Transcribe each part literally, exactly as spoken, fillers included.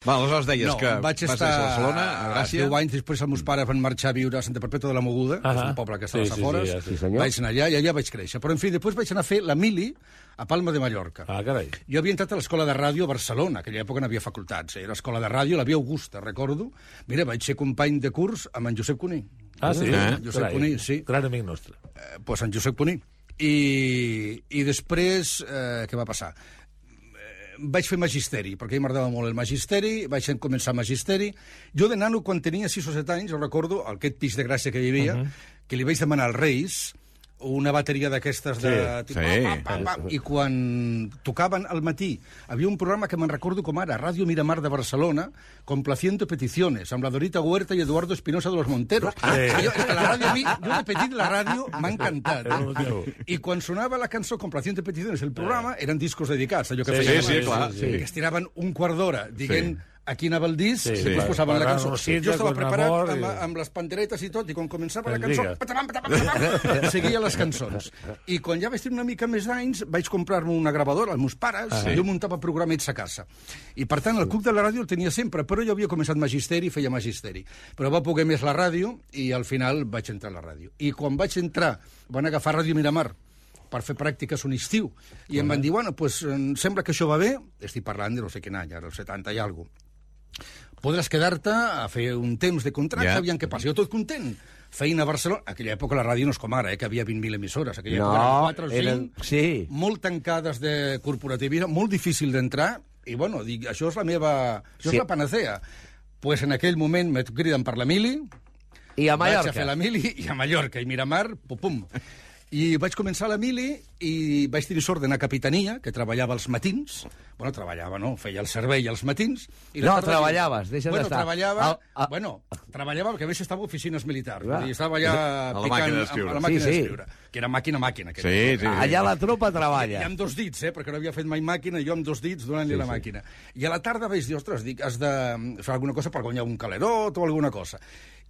Va, aleshores deies no, que vaig vas estar a Barcelona, a Gràcia. deu anys després els meus pares van marxar a viure a Santa Perpètua de la Mogoda, que és un poble que està sí, als afores. sí, sí, sí, senyor. Vaig anar allà i allà vaig créixer. Però, en fi, després vaig anar a fer la mili a Palma de Mallorca. Ah, carai. Jo havia entrat a l'Escola de Ràdio a Barcelona, aquella època no havia facultats. Era l'Escola de Ràdio, la Via Augusta, recordo. Mira, vaig ser company de curs amb en Josep Cuní. Ah, sí? Eh? Josep Carai, Cuní, sí. Gran amic nostre. Eh, pues en Josep Cuní. I, i després, eh, què va passar? Vaig fer magisteri, perquè a mi m'agradava molt el magisteri, vaig començar magisteri. Jo de nano, quan tenia sis o set anys, jo recordo, aquest pis de Gràcia que hi havia, uh -huh. que li vaig demanar als Reis una bateria d'aquestes de... Sí, tipus, sí. pam, pam, pam, i quan tocaven al matí, havia un programa que me'n recordo com ara, Ràdio Miramar de Barcelona, complaciendo peticiones, amb la Dorita Huerta i Eduardo Espinosa de los Monteros. Ah, sí. Jo, la ràdio, a mi, jo de petit la ràdio m'ha encantat. Eh? I quan sonava la cançó Complaciendo peticiones, el programa, eren discos dedicats, allò que Sí, feien sí, sí, abans, clar, que sí. estiraven un quart d'hora dient... Sí. Aquí anava el disc, Sí, i sí, després clar. posaven la Gran cançó. Rosita, Jo estava con preparat amor, amb, i- amb les panderetes i tot, i quan començava la Ens cançó, diga. patam, patam, patam, patam, seguia les cançons. I quan ja vaig tenir una mica més d'anys, vaig comprar-me una gravadora als meus pares, Ah, i jo muntava programets a casa. I, per tant, el club de la ràdio el tenia sempre, però jo havia començat magisteri, feia magisteri. Però va poder més la ràdio, i al final vaig entrar a la ràdio. I quan vaig entrar, van agafar Ràdio Miramar per fer pràctiques un estiu, i em van dir, bueno, pues, em sembla que això va bé, estic parlant de no sé quin any, ara el setanta i alguna cosa, podràs quedar-te a fer un temps de contracte, Ja. aviam què passa. Jo tot content. Feina a Barcelona. Aquella època la ràdio no és com ara, eh, que havia vint mil emissores. Aquella No, època eren quatre o cinc, eren- sí. molt tancades de corporativisme, molt difícil d'entrar, i bueno, dic, això és la meva... Això Sí. és la panacea. Pues en aquell moment me criden per la mili, I a vaig a Mallorca. fer la mili, i a Mallorca, i Miramar, pum, pum. I vaig començar la mili i vaig tenir sort d'anar a Capitania, que treballava als matins. Bueno, treballava, no? Feia el servei als matins. I la No, tarda- treballaves, deixa't bueno, d'estar. treballava... Al- a- Bueno, treballava perquè a més estava a oficines militars. Clar. Vull dir, estava allà A la picant màquina amb- d'escriure. a la màquina Sí, sí. d'escriure. Que era màquina-màquina. que Sí, era. sí. Allà la tropa I treballa. amb dos dits, eh, perquè no havia fet mai màquina, jo amb dos dits donant-li sí, la màquina. I a la tarda vaig dir, ostres, dic, has de fer alguna cosa per guanyar un calerot o alguna cosa.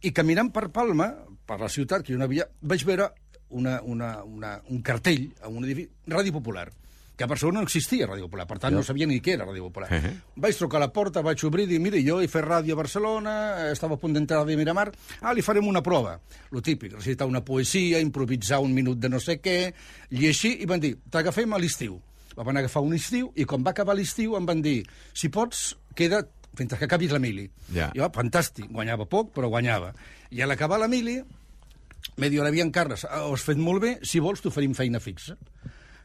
I caminant per Palma, per la ciutat, que jo no havia, vaig veure una, una, una, un cartell a un edifici, Ràdio Popular, que a Barcelona no existia Ràdio Popular, per tant no, no sabia ni què era Ràdio Popular. Uh -huh. Vaig trucar a la porta, vaig obrir i dir, mira, jo he fet ràdio a Barcelona, estava a punt d'entrar a Miramar, ah, li farem una prova. Lo típic, recitar una poesia, improvisar un minut de no sé què, llegir, i van dir, t'agafem a l'estiu. Van agafar un estiu, i quan va acabar l'estiu em van dir, si pots, queda't fins que acabis la mili. Ja. Jo, fantàstic, guanyava poc, però guanyava. I a l'acabar la mili, me diu, Aviam, Carles, ho has fet molt bé, si vols t'oferim feina fixa.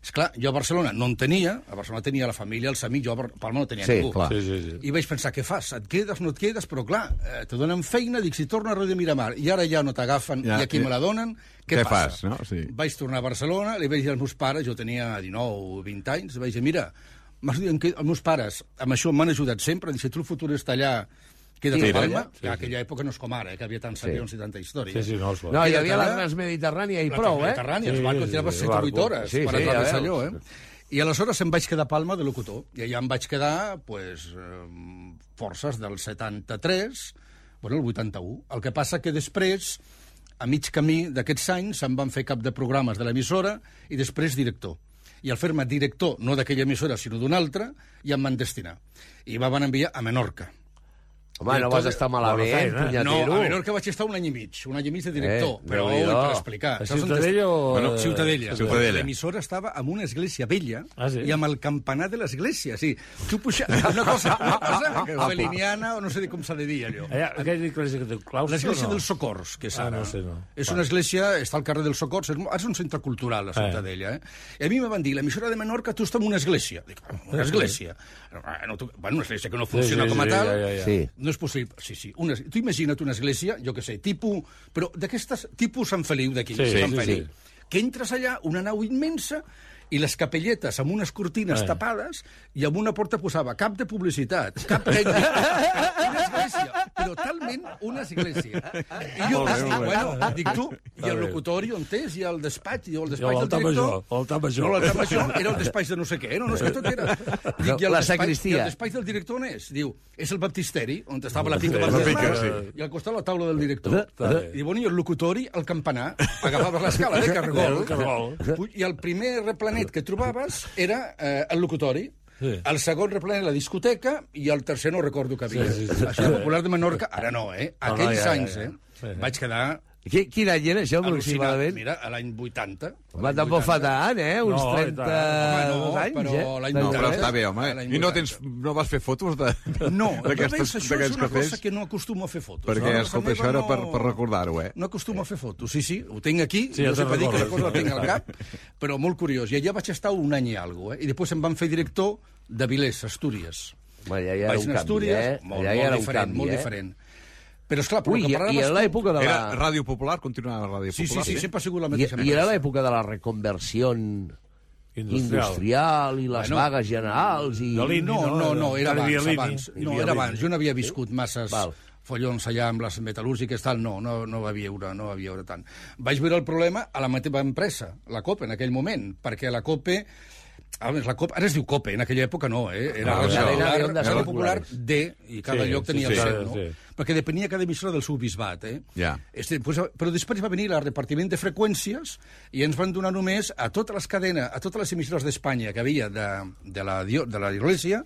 Esclar, jo a Barcelona no en tenia, a Barcelona tenia la família, els amics, jo a Palma no tenia Sí, ningú. clar. Sí, sí, sí. I vaig pensar, què fas? Et quedes, no et quedes? Però clar, eh, te donen feina, dic, si torna a Ràdio Miramar, i ara ja no t'agafen, Ja, i aquí i- me la donen, què, què passa? fas, no? Sí. Vaig tornar a Barcelona, li vaig dir als meus pares, jo tenia dinou o vint anys, vaig dir, mira, m'has dit que els meus pares amb això m'han ajudat sempre, dic, si tu el futur està allà, queda't Sí, a Palma, sí, sí, que aquella època no és com ara, eh, que havia tants avions i tanta història. Sí, sí, no, és No, clar. hi havia la Queda't allà. Transmediterrània i La prou, eh? Mediterrània, els Sí, barcos sí, tiraven sí, set o vuit barco. hores Sí, per sí, atravessar ja allò, veus. eh? I aleshores em vaig quedar a Palma de locutor, i allà em vaig quedar, pues, eh, forces del setanta-tres, bueno, el vuitanta-u. El que passa que després, a mig camí d'aquests anys, em van fer cap de programes de l'emissora i després director. I al fer-me director, no d'aquella emissora, sinó d'una altra, ja em van destinar. I em van enviar a Menorca. Home, no vas estar malament, Bona feina. No, punyatero. a Menorca vaig estar un any i mig, un any i mig de director, Eh, però ui, Déu-n'hi-do. per explicar. A Saps on Ciutadella est- o... Bueno, Ciutadella. Ciutadella. L'emissora estava en una església vella Ah, sí? i amb el campanar de l'església. Sí. Tu puja... Una cosa, una cosa aveliniana, o no sé com s'ha de dir, allò. Allà, aquella església que té claustre, L'església no? dels Socors, que és Ah, ara. no sé, no. És Va. una església, està al carrer dels Socors, és, és un centre cultural, la Ciutadella. Eh? I a mi me van dir, l'emissora de Menorca, tu estàs en una església. Dic, una església? No, tu, bueno, una església que no funciona sí, com a sí, tal. ja, ja, ja. Sí. No és possible. Sí, sí. Una, tu imagina't una església, jo què sé, tipus... Però d'aquestes... Tipus Sant Feliu d'aquí. Sí, Sant sí, Feliu. sí. Que entres allà, una nau immensa, i les capelletes amb unes cortines Eh. tapades, i amb una porta posava cap de publicitat, cap tècnic, una església, però talment una església. I jo Molt bé, dic, molt bé. bueno, dic tu, i Està el bé. locutori on és, i el despatx, i el I despatx del l'altar director... major, l'altar major. No, l'altar major era el despatx de no sé què, no, no és que tot era... Dic, i el La despatx- sagristia. I el despatx del director on és? Diu, és el baptisteri, on estava la pica Sí, la baptismal, pica, sí. i al costat la taula del director. Està bé. I bueno, i el locutori, el campanar, agafaves l'escala de cargol, El cargol. i el primer replanet que trobaves era eh, el locutori. Sí. El segon replena la discoteca i el tercer no recordo que havia. Sí, sí, sí. Això popular de Menorca, ara no, eh? No, no, Aquells ja, ja, anys, ja. eh? Sí, sí. Vaig quedar Qui, quin any era això, al·lucinat. aproximadament? Mira, a l'any vuitanta. Va, tampoc fa tant, eh? Uns No, i tant. trenta-dos Home, no, anys, però eh? l'any No, vuitanta. però està bé, home. A l'any I no, vuitanta. tens, no vas fer fotos de, No, d'aquestes- veus, això és d'aquests una cafès? cosa que no acostumo a fer fotos. Perquè, no? escolta, Casa això era meva per, per recordar-ho, eh? No acostumo a fer fotos, sí, sí, ho tinc aquí, Sí, ja no sé te'n per dir que la recordes. cosa la tinc al cap, però molt curiós. I allà vaig estar un any i alguna cosa, eh? I després em van fer director de Vilés, Astúries. Home, ja, ja era Vaig un anar a canvi, Astúries, eh? molt, Allà ja molt era un diferent, canvi, molt eh? diferent. Però, esclar, però Ui, que i, i parlaves era tu- l'època de Era la... Ràdio Popular? Continuava Ràdio Sí, sí, Popular? sí, sempre ha sigut la I, mateixa I era empresa. l'època de la reconversió Industrial. industrial i les Bueno, vagues generals i... de l'I- No, no, no, era Encara hi havia abans, línia. abans. Hi No, havia era línia. abans. Jo no havia viscut masses Val. follons allà amb les metal·lúrgiques, tal, no, no, no va viure, no va viure tant. Vaig veure el problema a la mateixa empresa, la COPE, en aquell moment, perquè la COPE, a més, la COPE, ara es diu COPE, en aquella època no, eh? Era No, Ràdio cadena Popular, de ondes Ràdio Popular populars. D, i cada Sí, lloc sí, tenia sí, el sí, seu, no? sí. Perquè depenia cada emissora del seu bisbat, eh? Ja. Este, pues, però després va venir el repartiment de freqüències i ens van donar només a totes les cadenes, a totes les emissores d'Espanya que havia de, de, la, dio- de la Iglesia,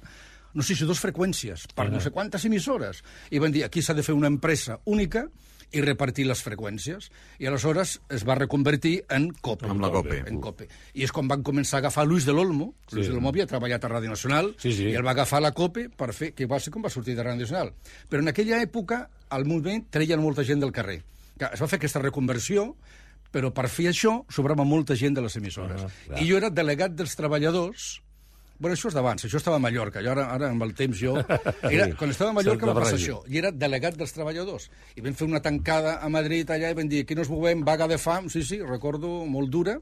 no sé si dos freqüències, per no sé quantes emissores. I van dir, aquí s'ha de fer una empresa única i repartir les freqüències. I aleshores es va reconvertir en COPE. Amb la COPE. En COPE. I és quan van començar a agafar Luis de l'Olmo. Sí. Luis de l'Olmo havia treballat a Ràdio Nacional Sí, sí. i el va agafar la COPE per fer, que va ser com va sortir de Ràdio Nacional. Però en aquella època, al moviment, treien molta gent del carrer. Clar, es va fer aquesta reconversió, però per fer això sobrava molta gent de les emissores. Ah, I jo era delegat dels treballadors. Bueno, això és d'abans, això estava a Mallorca. Jo ara, ara amb el temps, jo... Era, quan estava a Mallorca Santa va passar Barragi. això. I era delegat dels treballadors. I vam fer una tancada a Madrid allà i vam dir, aquí no es movem, vaga de fam, sí, sí, recordo, molt dura,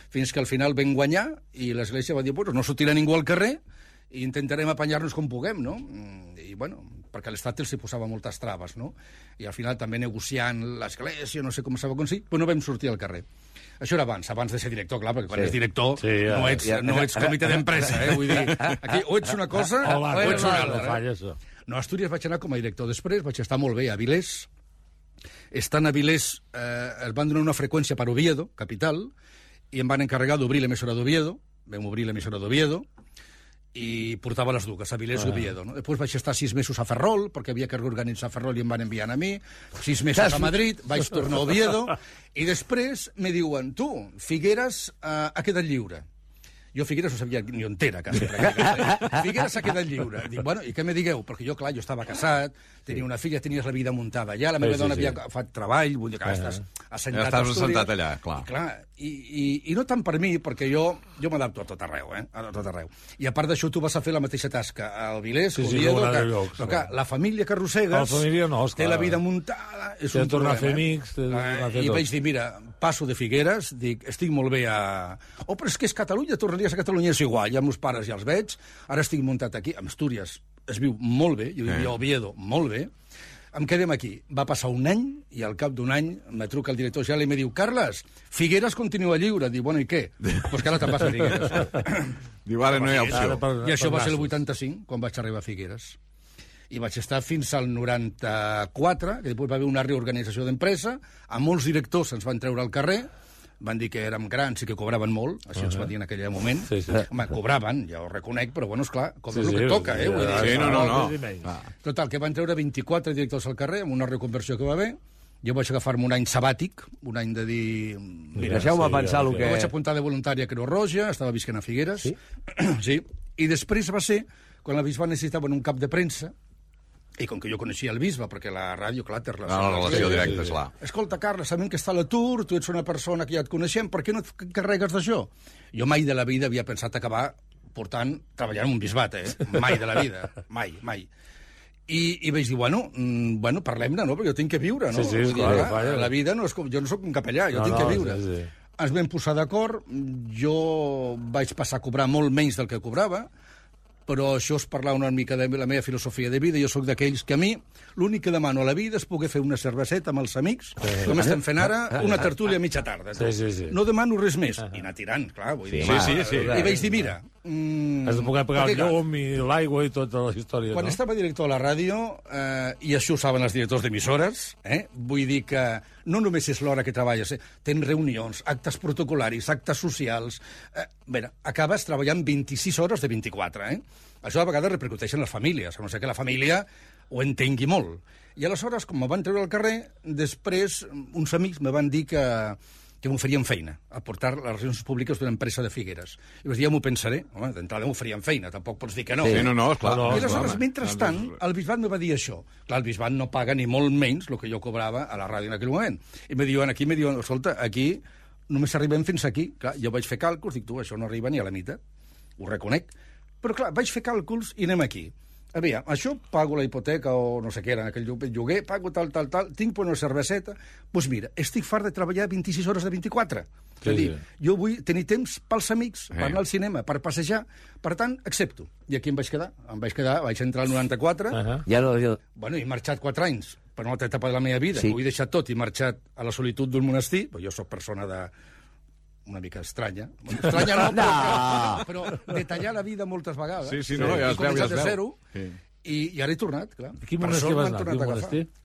fins que al final vam guanyar i l'Església va dir, bueno, no sortirà ningú al carrer i intentarem apanyar-nos com puguem, no? I, bueno, perquè l'Estat els hi posava moltes traves, no? I al final també negociant l'Església, no sé com s'ha aconseguit, però no vam sortir al carrer. Això era abans, abans de ser director, clar, perquè quan Sí. ets director Sí, ja, no, ets, ja. no ets comitè d'empresa, eh? Vull dir, aquí o ets una cosa Hola, o ets una no altra. falla, això. No, a Astúries vaig anar com a director. Després vaig estar molt bé a Vilés. Estant a Vilés, eh, es van donar una freqüència per Oviedo, capital, i em van encarregar d'obrir l'emissora d'Oviedo. Vam obrir l'emissora d'Oviedo i portava les dues, a Vilés i Oviedo. No? Després vaig estar sis mesos a Ferrol, perquè havia que reorganitzar Ferrol i em van enviar a mi. Sis mesos a Madrid, vaig tornar a Oviedo, i després me diuen, tu, Figueres eh, ha quedat lliure. Jo Figueres no sabia ni on era, quasi. Figueres ha quedat lliure. Dic, bueno, i què me digueu? Perquè jo, clar, jo estava casat, tenia una filla, tenies la vida muntada allà, la meva Sí, sí, dona sí. havia fet treball, vull dir que estàs assentat Ja estaves a Astúries. assentat allà, clar. I, clar, i, i, i no tant per mi, perquè jo jo m'adapto a tot arreu, eh? A tot arreu. I a part d'això, tu vas a fer la mateixa tasca al Vilés, Sí, sí, Oviedo, com en que, altres llocs, però, clar, clar. la família que arrossegues La família no, té esclar. la vida muntada, és T'ha un de tornar a problema. fer amics, t'ha de Eh, tornar a fer I tot. vaig dir, mira, passo de Figueres, dic, estic molt bé a... Oh, però és que és Catalunya, tornaries a Catalunya, és igual, ja amb els pares ja els veig, ara estic muntat aquí, a Astúries es viu molt bé, jo vivia a Oviedo molt bé, em quedem aquí. Va passar un any, i al cap d'un any me truca el director general i me diu, Carles, Figueres continua lliure. Dic, bueno, i què? Doncs pues que ara te'n vas a Figueres. Diu, ara no hi ha opció. Ara per- I això per va ser el nassos. vuitanta-cinc, quan vaig arribar a Figueres. I vaig estar fins al noranta-quatre, que després va haver una reorganització d'empresa, a molts directors ens van treure al carrer, van dir que érem grans i que cobraven molt, així ens va dir en aquell moment. Sí, sí. Home, cobraven, ja ho reconec, però bueno, esclar, com Sí, és el que sí, toca, eh? sí, Vull dir, Sí, no, no, no. Sí, sí, sí. Ah. Total, que van treure vint-i-quatre directors al carrer amb una reconversió que va haver. Jo vaig agafar-me un any sabàtic, un any de dir... Mira, Deixeu-me sí, pensar ja, el ja. que... jo vaig apuntar de voluntària a Creu Roja, estava visquent a Figueres. Sí? Sí. I després va ser, quan el bisbe necessitava un cap de premsa, i com que jo coneixia el bisbe, perquè la ràdio, clar, té relació. Ah, la relació Sí, directa, sí, sí. esclar. Escolta, Carles, sabem que està a l'atur, tu ets una persona que ja et coneixem, per què no et carregues d'això? Jo mai de la vida havia pensat acabar portant, treballant en un bisbat, eh? Mai de la vida, mai, mai. I, i vaig dir, bueno, mm, bueno parlem-ne, no? Perquè jo tinc que viure, no? Sí, sí, Vull dir, clar, clar, clar. la vida no és com... Jo no sóc un capellà, jo No, tinc no, que viure. sí, sí. Ens vam posar d'acord, jo vaig passar a cobrar molt menys del que cobrava, però això és parlar una mica de la meva filosofia de vida. Jo sóc d'aquells que a mi l'únic que demano a la vida és poder fer una cerveseta amb els amics, com estem fent ara, una tertúlia a mitja tarda. Sí, sí, sí. No demano res més. I anar tirant, clar, vull dir. Sí, sí, sí. I vaig dir, mira, Mm, Has de poder pagar el perquè, clar, llum i l'aigua i tota la història, Quan no? estava director a la ràdio, eh, i això ho saben els directors d'emissores, eh, vull dir que no només és l'hora que treballes, eh, tens reunions, actes protocolaris, actes socials... Eh, bé, acabes treballant vint-i-sis hores de vint-i-quatre, eh? Això a vegades repercuteix en les famílies, a no ser que la família ho entengui molt. I aleshores, com me van treure al carrer, després uns amics me van dir que que m'oferien feina, a portar les relacions públiques d'una empresa de Figueres. I vaig dir, ja m'ho pensaré. Home, d'entrada m'oferien feina, tampoc pots dir que no. Sí, no, no, esclar. No, I no, aleshores, home. mentrestant, el bisbat me va dir això. Clar, el bisbat no paga ni molt menys el que jo cobrava a la ràdio en aquell moment. I me diuen, aquí, me diuen, escolta, aquí només arribem fins aquí. Clar, jo vaig fer càlculs, dic, tu, això no arriba ni a la meitat. Ho reconec. Però, clar, vaig fer càlculs i anem aquí. Aviam, això pago la hipoteca o no sé què era en aquell lloguer, pago tal, tal, tal, tinc per una cerveseta... Doncs pues mira, estic fart de treballar vint-i-sis hores de vint-i-quatre. Sí, és a dir, sí. jo vull tenir temps pels amics, per Eh. anar al cinema, per passejar. Per tant, accepto. I aquí em vaig quedar. Em vaig quedar, vaig entrar al noranta-quatre, Uh -huh. Ja no... Jo... bueno, he marxat quatre anys per una altra etapa de la meva vida. Sí. Ho he deixat tot i he marxat a la solitud d'un monestir. Jo sóc persona de una mica estranya. Bueno, estranya no, No. però, però de tallar la vida moltes vegades. Sí, sí, no, ja He es veu, ja començat es de veu. zero, Sí. i, i ara he tornat, clar. A quin Per monestir sort vas m'han anar? tornat Quin a agafar. monestir?